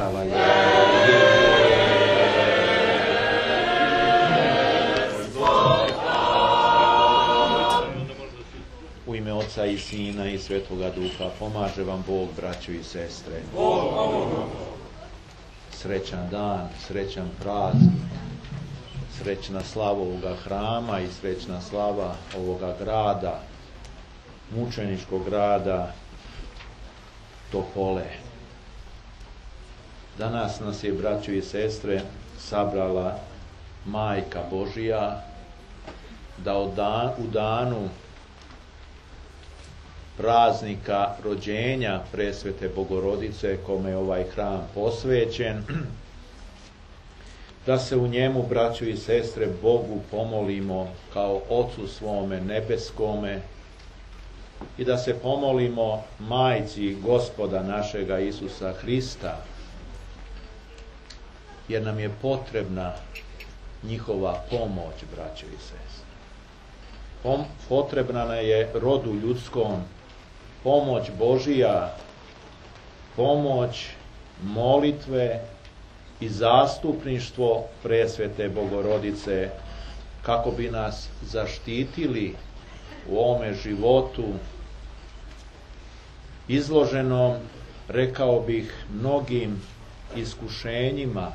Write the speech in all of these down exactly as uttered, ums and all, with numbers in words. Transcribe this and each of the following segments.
Oslavljaj. U ime Oca i Sina i Svetoga Duha pomaže vam Bog, braćo i sestre. Srećan dan, srećan praznik, srećna slava ovoga hrama i srećna slava ovoga grada, mučeničkog grada Topole. Danas nas je, braćo i sestre, sabrala Majka Božija da u danu praznika rođenja Presvete Bogorodice, kome je ovaj hram posvećen, da se u njemu, braćo i sestre, Bogu pomolimo kao Ocu svome nebeskome i da se pomolimo Majci Gospoda našega Isusa Hrista, jer nam je potrebna njihova pomoć, braćo i sestre. Potrebna je rodu ljudskom pomoć Božija, pomoć molitve i zastupništvo Presvete Bogorodice, kako bi nas zaštitili u ovome životu izloženom, rekao bih, mnogim iskušenjima,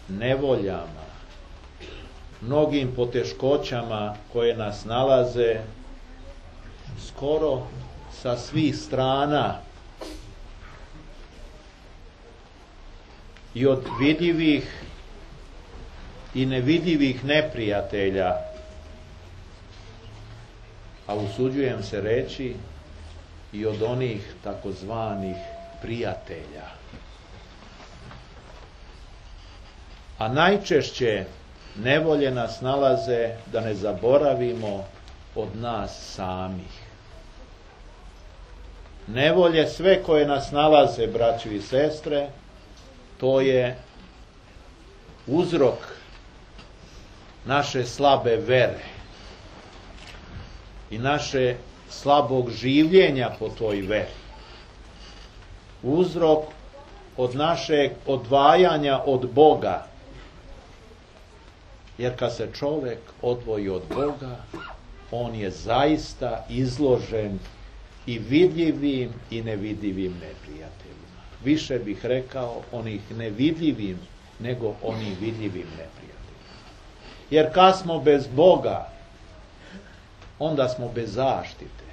nevoljama, mnogim poteškoćama koje nas nalaze skoro sa svih strana, i od vidljivih i nevidljivih neprijatelja, a usuđujem se reći i od onih takozvanih prijatelja. A najčešće nevolje nas nalaze, da ne zaboravimo, od nas samih. Nevolje sve koje nas nalaze, braćo i sestre, to je uzrok naše slabe vere i naše slabog življenja po toj veri. Uzrok od našeg odvajanja od Boga. Jer kad se čovjek odvoji od Boga, on je zaista izložen i vidljivim i nevidljivim neprijateljima. Više bih rekao onih nevidljivim nego onih vidljivim neprijateljima. Jer kad smo bez Boga, onda smo bez zaštite.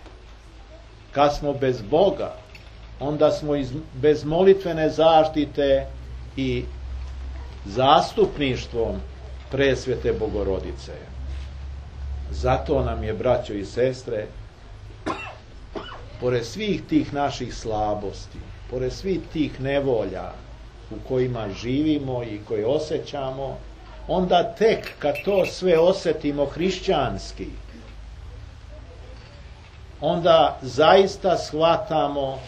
Kad smo bez Boga, onda smo iz, bez molitvene zaštite i zastupništvom Presvete Bogorodice. Zato nam je, braćo i sestre, pored svih tih naših slabosti, pored svih tih nevolja u kojima živimo i koje osjećamo, onda tek kad to sve osjetimo hrišćanski, onda zaista shvatamo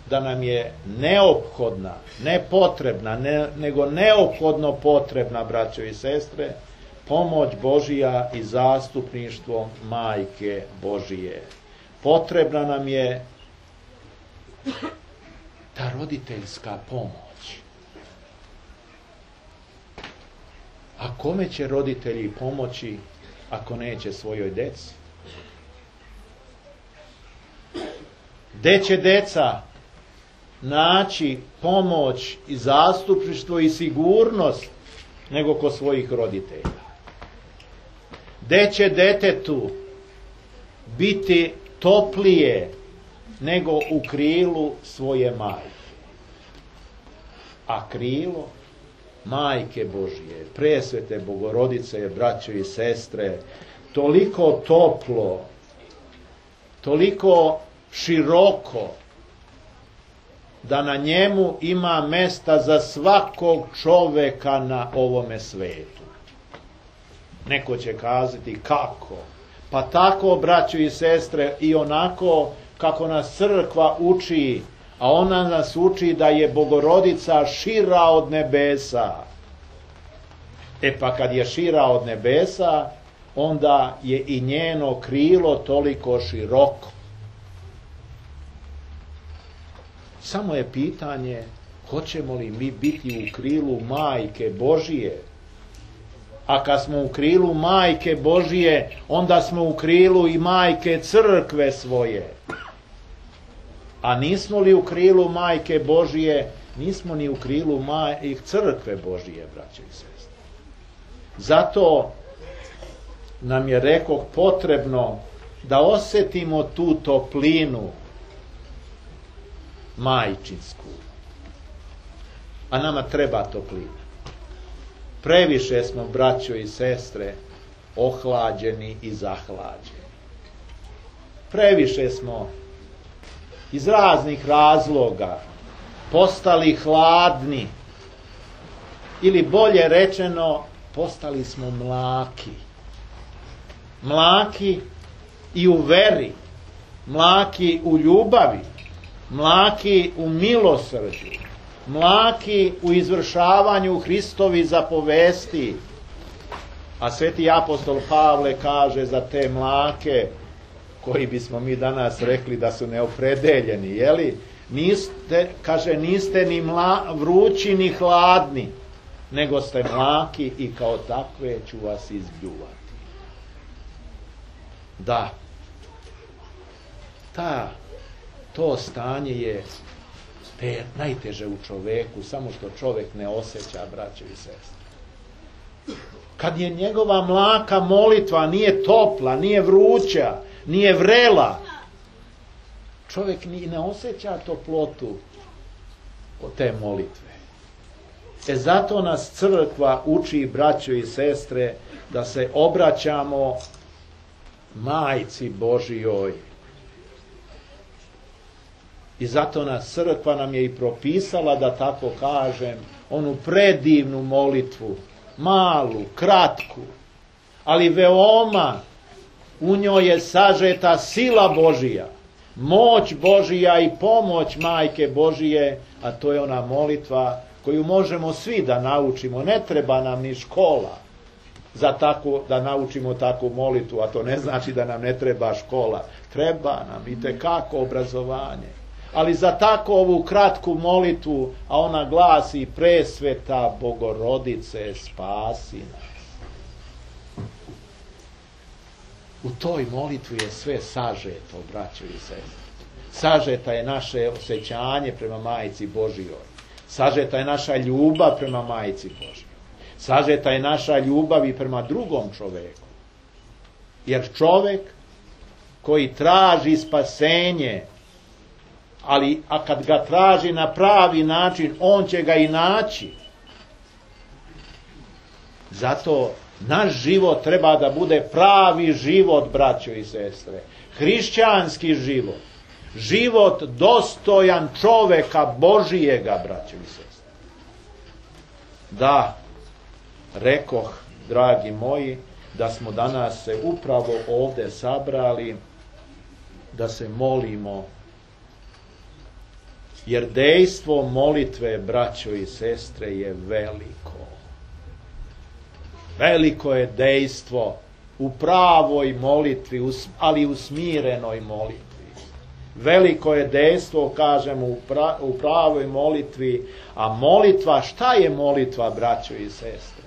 da nam je neophodna, ne potrebna, ne, nego neophodno potrebna, braćo i sestre, pomoć Božija i zastupništvo Majke Božije. Potrebna nam je ta roditeljska pomoć. A kome će roditelji pomoći ako neće svojoj deci? Gde će deca naći pomoć i zastupništvo i sigurnost nego kod svojih roditelja? Gde će detetu biti toplije nego u krilu svoje majke? A krilo Majke Božije, Presvete Bogorodice, braćo i sestre, toliko toplo, toliko široko, da na njemu ima mesta za svakog čoveka na ovome svetu. Neko će kazati kako? Pa tako, braćo i sestre, i onako kako nas crkva uči, a ona nas uči da je Bogorodica šira od nebesa. E pa kad je šira od nebesa, onda je i njeno krilo toliko široko. Samo je pitanje hoćemo li mi biti u krilu Majke Božije? A kad smo u krilu Majke Božije, onda smo u krilu i Majke Crkve svoje. A nismo li u krilu Majke Božije, nismo ni u krilu Majke Crkve Božije, braćo i sestre. Zato nam je, rekoh, potrebno da osjetimo tu toplinu majčinsku. A nama treba toplina. Previše smo, braćo i sestre, ohlađeni i zahlađeni. Previše smo iz raznih razloga postali hladni, ili bolje rečeno, postali smo mlaki. Mlaki i u veri, mlaki u ljubavi, mlaki u milosrđu, mlaki u izvršavanju Hristovi zapovesti. A sveti apostol Pavle kaže za te mlake, koji bismo mi danas rekli da su neopredeljeni, jeli? Niste, kaže, niste ni mla, vrući ni hladni, nego ste mlaki i kao takve ću vas izbljuvati. Da, ta, to stanje je te, najteže u čoveku, samo što čovek ne osjeća, braćo i sestre. Kad je njegova mlaka molitva nije topla, nije vruća, nije vrela, čovjek ni ne osjeća toplotu od te molitve. E zato nas crkva uči, braćo i sestre, da se obraćamo Majci Božijoj. I zato nas crkva nam je i propisala, da tako kažem, onu predivnu molitvu, malu, kratku, ali veoma u njoj je sažeta sila Božija, moć Božija i pomoć Majke Božije, a to je ona molitva koju možemo svi da naučimo. Ne treba nam ni škola za tako, da naučimo takvu molitvu, a to ne znači da nam ne treba škola. Treba nam itekako obrazovanje. Ali za tako ovu kratku molitvu, a ona glasi: Presveta Bogorodice, spasi nas. U toj molitvi je sve sažeto, braćo i sestre. Sažeta je naše osjećanje prema Majci Božijoj. Sažeta je naša ljubav prema Majci Božijoj. Sažeta je naša ljubav i prema drugom čoveku. Jer čovek koji traži spasenje, ali a kad ga traži na pravi način, on će ga i naći. Zato naš život treba da bude pravi život, braćo i sestre. Hrišćanski život. Život dostojan čoveka Božijega, braćo i sestre. Da, rekoh, dragi moji, da smo danas se upravo ovde sabrali da se molimo, jer dejstvo molitve, braćo i sestre, je veliko. Veliko je dejstvo u pravoj molitvi, ali u smirenoj molitvi. Veliko je dejstvo, kažemo, u, pra, u pravoj molitvi, a molitva, šta je molitva, braćo i sestre?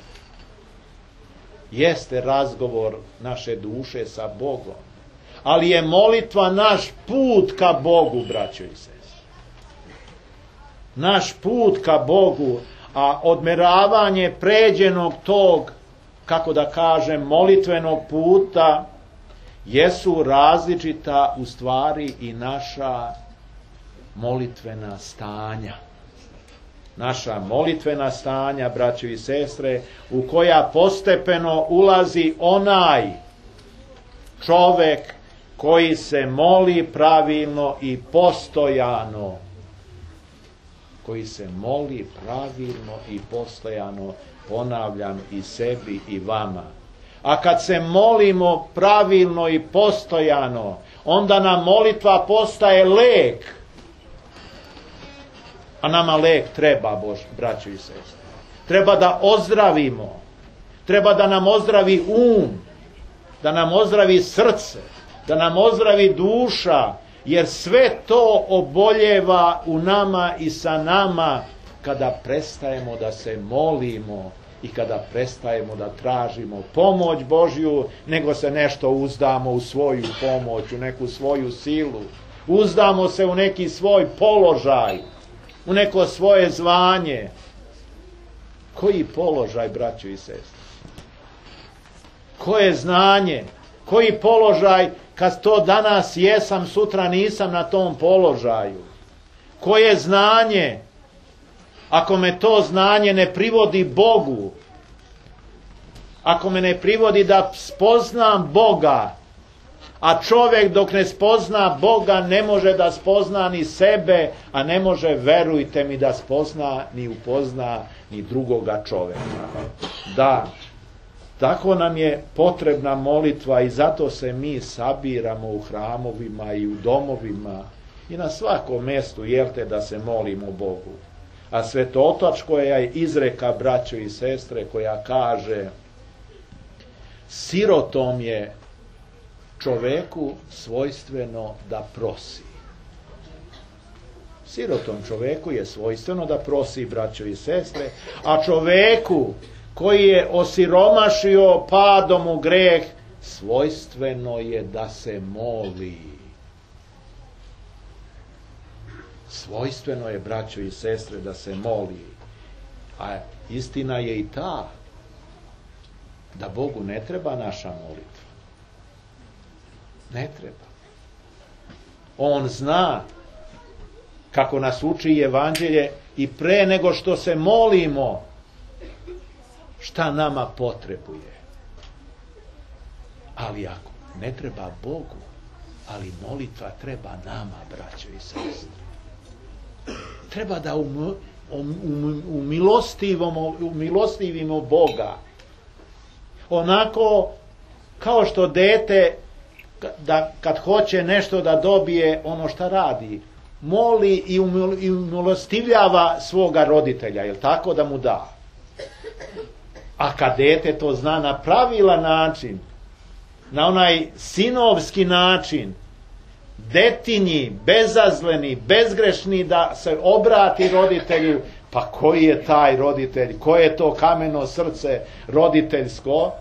Jeste razgovor naše duše sa Bogom, ali je molitva naš put ka Bogu, braćo i sestre. Naš put ka Bogu, a odmeravanje pređenog tog, kako da kažem, molitvenog puta, jesu različita u stvari i naša molitvena stanja. Naša molitvena stanja, braćo i sestre, u koja postepeno ulazi onaj čovek koji se moli pravilno i postojano. Koji se moli pravilno i postojano, ponavljam, i sebi i vama. A kad se molimo pravilno i postojano, onda nam molitva postaje lek. A nama lek treba, Bož, braćo i sestre. Treba da ozdravimo. Treba da nam ozdravi um, da nam ozdravi srce, da nam ozdravi duša, jer sve to oboljeva u nama i sa nama kada prestajemo da se molimo i kada prestajemo da tražimo pomoć Božju, nego se nešto uzdamo u svoju pomoć, u neku svoju silu. Uzdamo se u neki svoj položaj, u neko svoje zvanje. Koji položaj, braćo i sestre? Koje znanje? Koji položaj kad to danas jesam, sutra nisam na tom položaju? Koje znanje? Ako me to znanje ne privodi Bogu, ako me ne privodi da spoznam Boga, a čovjek dok ne spozna Boga ne može da spozna ni sebe, a ne može, verujte mi, da spozna ni upozna ni drugoga čovjeka. Da, tako nam je potrebna molitva i zato se mi sabiramo u hramovima i u domovima i na svakom mjestu, jelte, da se molimo Bogu. A Svetotač koja je izreka, braćo i sestre, koja kaže: sirotom je čoveku svojstveno da prosi. Sirotom čoveku je svojstveno da prosi, braćo i sestre, a čoveku koji je osiromašio padom u greh, svojstveno je da se moli. Svojstveno je, braćo i sestre, da se moli. A istina je i ta da Bogu ne treba naša molitva. Ne treba. On zna, kako nas uči Evanđelje, i pre nego što se molimo, šta nama potrebuje. Ali ako ne treba Bogu, ali molitva treba nama, braćo i sestre. Treba da um, um, umilostivimo, umilostivimo Boga. Onako kao što dete, da kad hoće nešto da dobije, ono šta radi, moli i umilostivljava svoga roditelja, jel tako, da mu da. A kad dete to zna na pravilan način, na onaj sinovski način, detinji, bezazleni, bezgrešni, da se obrati roditelju, pa koji je taj roditelj, koje je to kameno srce roditeljsko,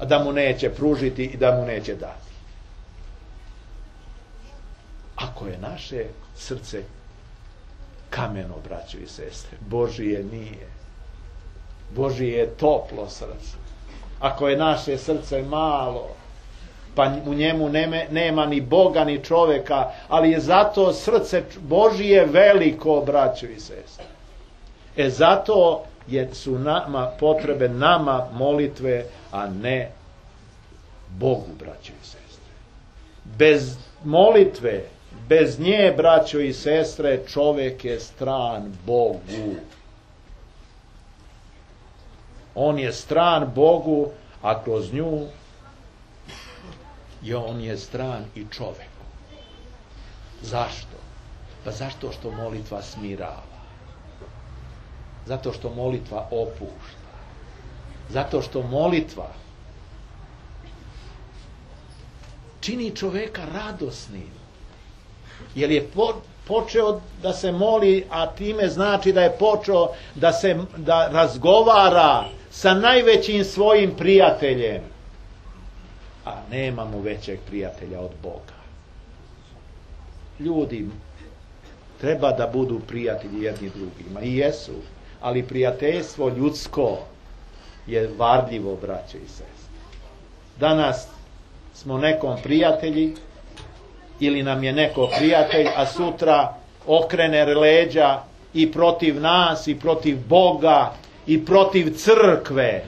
da mu neće pružiti i da mu neće dati. Ako je naše srce kameno, braćo i sestre, Božije nije. Božije je toplo srce. Ako je naše srce malo, pa u njemu neme, nema ni Boga ni čovjeka, ali je zato srce Božije veliko, braćo i sestre. E zato je, su nama potrebe nama molitve, a ne Bogu, braćo i sestre. Bez molitve, bez nje, braćo i sestre, čovjek je stran Bogu. On je stran Bogu, a kroz nju i on je stran i čoveku. Zašto? Pa zašto što molitva smirava. Zato što molitva opušta. Zato što molitva čini čoveka radosnim. Jer je po, počeo da se moli, a time znači da je počeo da se da razgovara sa najvećim svojim prijateljem. A nemamo većeg prijatelja od Boga. Ljudi treba da budu prijatelji jedni drugima. I jesu. Ali prijateljstvo ljudsko je varljivo, braćo i sestre. Danas smo nekom prijatelji, ili nam je neko prijatelj, a sutra okrene leđa i protiv nas, i protiv Boga, i protiv crkve.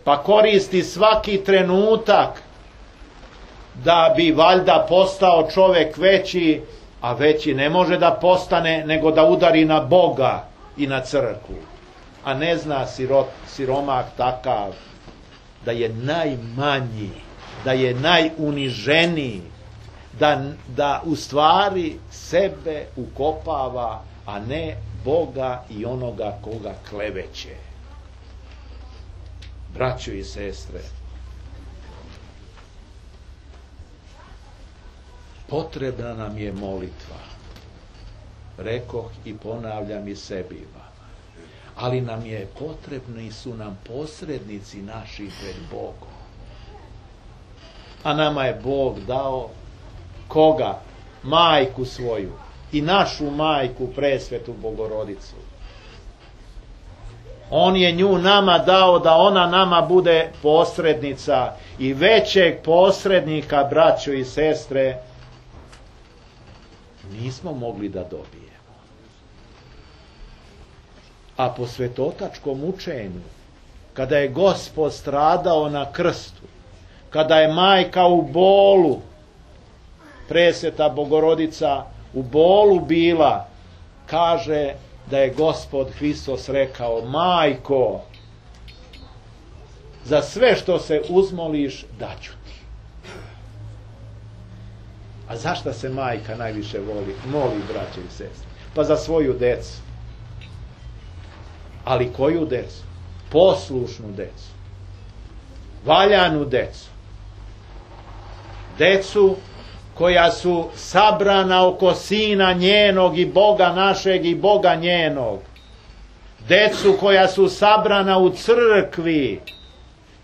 Pa koristi svaki trenutak da bi valjda postao čovjek veći, a veći ne može da postane nego da udari na Boga i na crkvu. A ne zna sirot, siromak takav da je najmanji, da je najuniženiji, da, da u stvari sebe ukopava, a ne Boga i onoga koga kleveće. Braćo i sestre, potrebna nam je molitva. Rekoh i ponavljam i sebi i vama. Ali nam je potrebni su nam posrednici naši pred Bogom. A nama je Bog dao koga? Majku svoju i našu majku presvetu Bogorodicu. On je nju nama dao da ona nama bude posrednica i većeg posrednika, braćo i sestre, nismo mogli da dobijemo. A po svetotačkom učenju, kada je Gospod stradao na krstu, kada je majka u bolu, presveta Bogorodica u bolu bila, kaže da je Gospod Hristos rekao: majko, za sve što se uzmoliš daću ti. A zašto se majka najviše voli, moli, braće i sestre? Pa za svoju decu. Ali koju decu? Poslušnu decu. Valjanu decu. Decu koja su sabrana oko Sina njenog i Boga našeg i Boga njenog. Decu koja su sabrana u crkvi.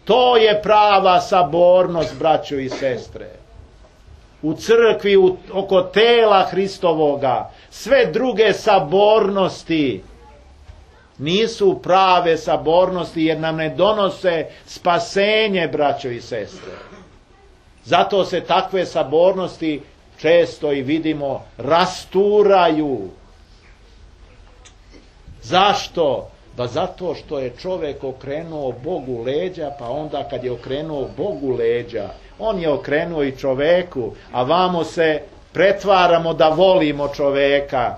To je prava sabornost, braćo i sestre. U crkvi, u, oko tela Hristovoga. Sve druge sabornosti nisu prave sabornosti, jer nam ne donose spasenje, braćo i sestre. Zato se takve sabornosti često i vidimo rasturaju. Zašto? Pa zato što je čovjek okrenuo Bogu leđa, pa onda kad je okrenuo Bogu leđa, on je okrenuo i čoveku, a vamo se pretvaramo da volimo čoveka.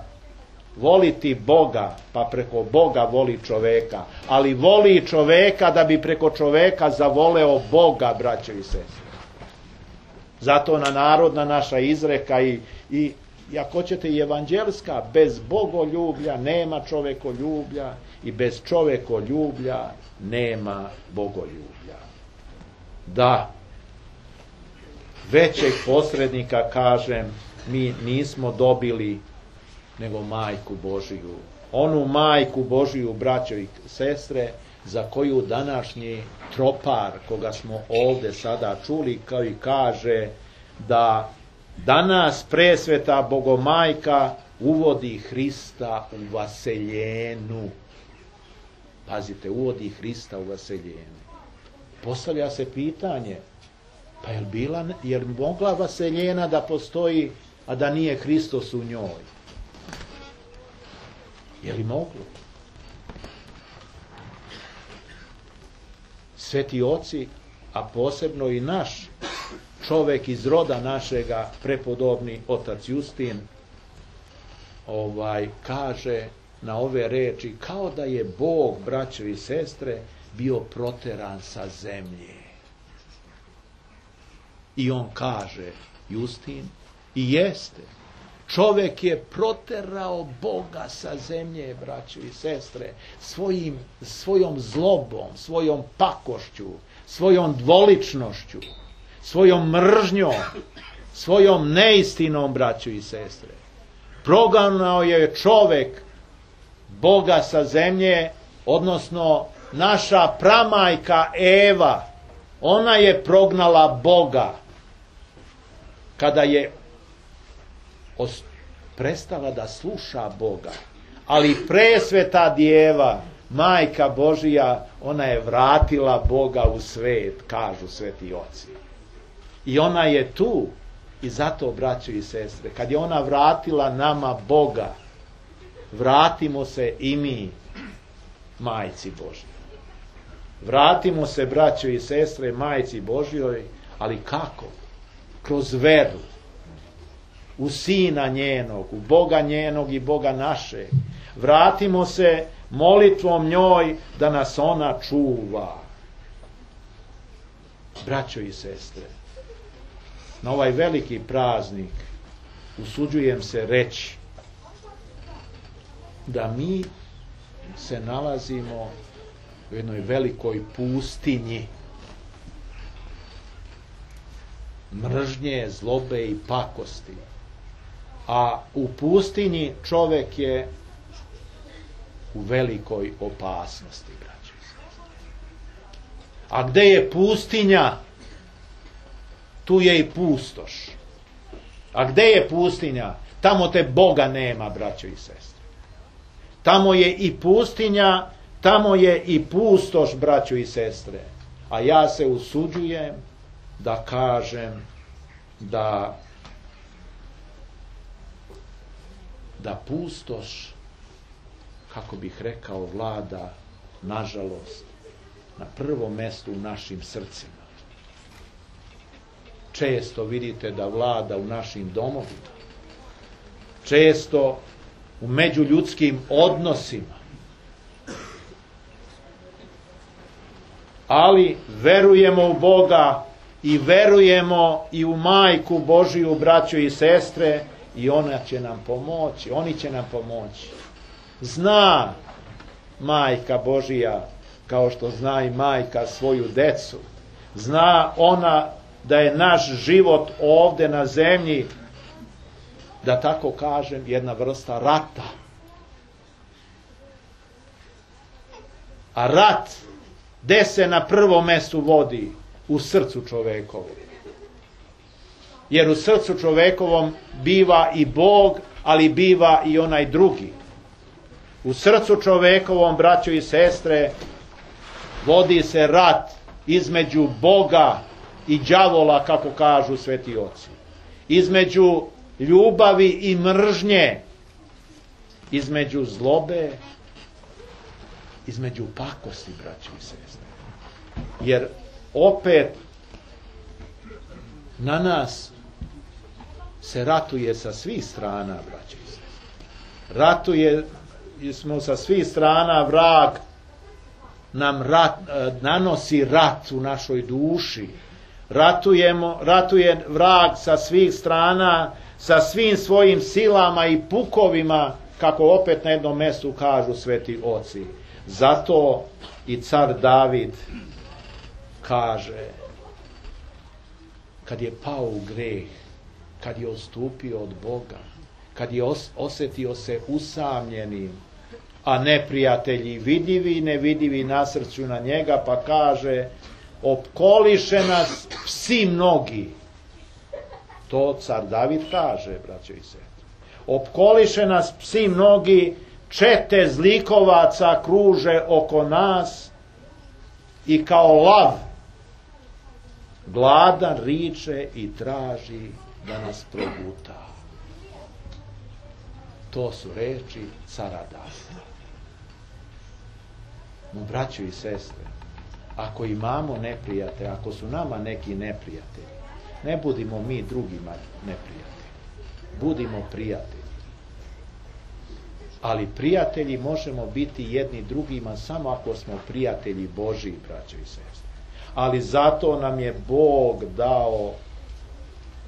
Voliti Boga, pa preko Boga voli čoveka, ali voli čoveka da bi preko čoveka zavoleo Boga, braćo i sestre. Zato na narodna naša izreka i, i, i ako ćete i evanđelska, bez bogoljublja nema čovekoljublja i bez čovekoljublja nema bogoljublja. Da, većeg posrednika, kažem, mi nismo dobili nego majku Božiju. Onu majku Božiju, braćo i sestre, za koju današnji tropar, koga smo ovde sada čuli, kao i kaže da danas presveta Bogomajka uvodi Hrista u vaseljenu. Pazite, uvodi Hrista u vaseljenu. Postavlja se pitanje, pa je li bila, je li mogla vaseljena da postoji, a da nije Hristos u njoj? Je li moglo? Sveti oci, a posebno i naš čovek iz roda našega, prepodobni otac Justin, ovaj, kaže na ove reči, kao da je Bog, braćo i sestre, bio proteran sa zemlje. I on kaže, Justin, i jeste, čovek je proterao Boga sa zemlje, braćo i sestre, svojim, svojom zlobom, svojom pakošću, svojom dvoličnošću, svojom mržnjom, svojom neistinom, braćo i sestre. Proganao je čovek Boga sa zemlje, odnosno naša pramajka Eva, ona je prognala Boga kada je prestala da sluša Boga. Ali presveta djeva, majka Božija, ona je vratila Boga u svet, kažu sveti oci. I ona je tu, i zato, braćo i sestre, kad je ona vratila nama Boga, vratimo se i mi majci Božjoj. Vratimo se, braćo i sestre, majci Božjoj, ali kako? Kroz veru u Sina njenog, u Boga njenog i Boga našeg. Vratimo se molitvom njoj da nas ona čuva. Braćo i sestre, na ovaj veliki praznik usuđujem se reći da mi se nalazimo u jednoj velikoj pustinji mržnje, zlobe i pakosti. A u pustinji čovek je u velikoj opasnosti, braćo i sestre. A gde je pustinja, tu je i pustoš. A gde je pustinja? Tamo te Boga nema, braćo i sestre. Tamo je i pustinja, tamo je i pustoš, braćo i sestre. A ja se usuđujem da kažem da da pustoš, kako bih rekao, vlada, nažalost, na prvom mjestu u našim srcima. Često vidite da vlada u našim domovima. Često u međuljudskim odnosima. Ali verujemo u Boga i verujemo i u Majku Božiju, braćo i sestre, i ona će nam pomoći, oni će nam pomoći. Zna Majka Božija, kao što zna i majka svoju decu. Zna ona da je naš život ovde na zemlji, da tako kažem, jedna vrsta rata. A rat, gde se na prvom mjestu vodi? U srcu čovekovom. Jer u srcu čovekovom biva i Bog, ali biva i onaj drugi. U srcu čovekovom, braćo i sestre, vodi se rat između Boga i đavola, kako kažu sveti oci. Između ljubavi i mržnje. Između zlobe, između pakosti, braćo i sestre. Jer opet na nas se ratuje sa svih strana, braćo i sestre. Ratuje smo sa svih strana, vrag nam rat, nanosi rat u našoj duši. Ratujemo, ratuje vrag sa svih strana, sa svim svojim silama i pukovima, kako opet na jednom mjestu kažu sveti oci. Zato i car David kaže, kad je pao u greh, kad je odstupio od Boga, kad je os- osjetio se usamljenim, a neprijatelji vidljivi i nevidljivi nasrću na njega, pa kaže, opkoliše nas psi mnogi. To car David kaže, braćo i sestre. Opkoliše nas psi mnogi, čete zlikovaca kruže oko nas i kao lav gladan riče i traži da nas proguta. To su reči cara Davida. No, braćo i sestre, ako imamo neprijatelje, ako su nama neki neprijatelji, ne budimo mi drugima neprijatelji. Budimo prijatelji. Ali prijatelji možemo biti jedni drugima samo ako smo prijatelji Božji, braćo i sestre. Ali zato nam je Bog dao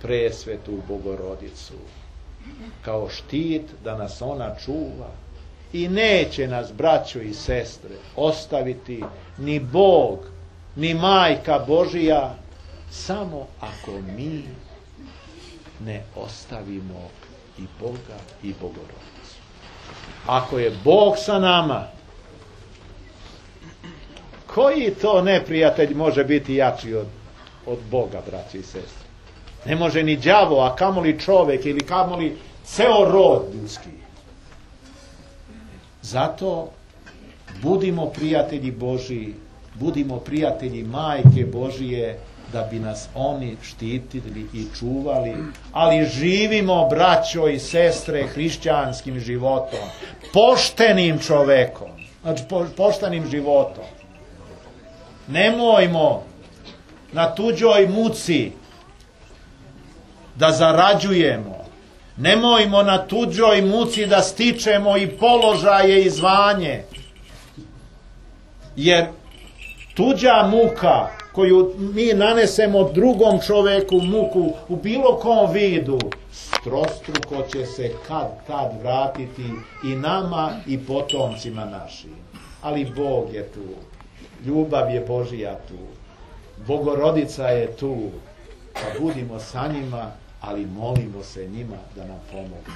presvetu Bogorodicu kao štit da nas ona čuva i neće nas, braćo i sestre, ostaviti ni Bog, ni Majka Božija, samo ako mi ne ostavimo i Boga i Bogorodicu. Ako je Bog sa nama, koji to neprijatelj može biti jači od, od Boga, braći i sestre? Ne može ni đavo, a kamoli čovek ili kamoli ceo rod ljudski. Zato budimo prijatelji Božji, budimo prijatelji Majke Božije, da bi nas oni štitili i čuvali, ali živimo, braćo i sestre, hrišćanskim životom, poštenim čovekom, znači po, poštenim životom. Nemojmo na tuđoj muci da zarađujemo. Nemojmo na tuđoj muci da stičemo i položaje i zvanje. Jer tuđa muka koju mi nanesemo drugom čoveku, muku u bilo kom vidu, strostruko će se kad kad vratiti i nama i potomcima našim. Ali Bog je tu. Ljubav je Božija tu. Bogorodica je tu. Pa budimo sa njima, ali molimo se njima da nam pomogne.